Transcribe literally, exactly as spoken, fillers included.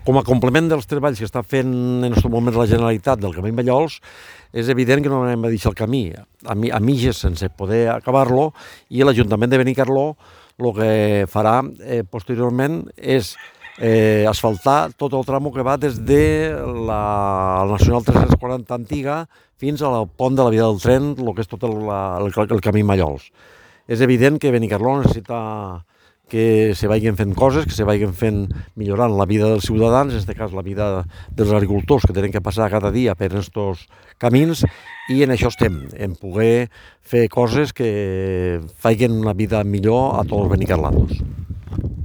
com a complement dels treballs que està fent en aquest moment la Generalitat del Camí Mallols, és evident que no anem a deixar el camí a, mi, a mitges sense poder acabar-lo, i l'Ajuntament de Benicarló el que farà eh, posteriorment és eh, asfaltar tot el tramo que va des de la, la Nacional tres-cents quaranta antiga fins al pont de la via del tren, el que és tot el, el, el camí Mallols. És evident que Benicarló necessita que se vagin fent coses, que se vagin fent millorant la vida dels ciutadans, en aquest cas la vida dels agricultors que tenen que passar cada dia per aquests camins, i en això estem, en poder fer coses que facin una vida millor a tots els benicarlanos.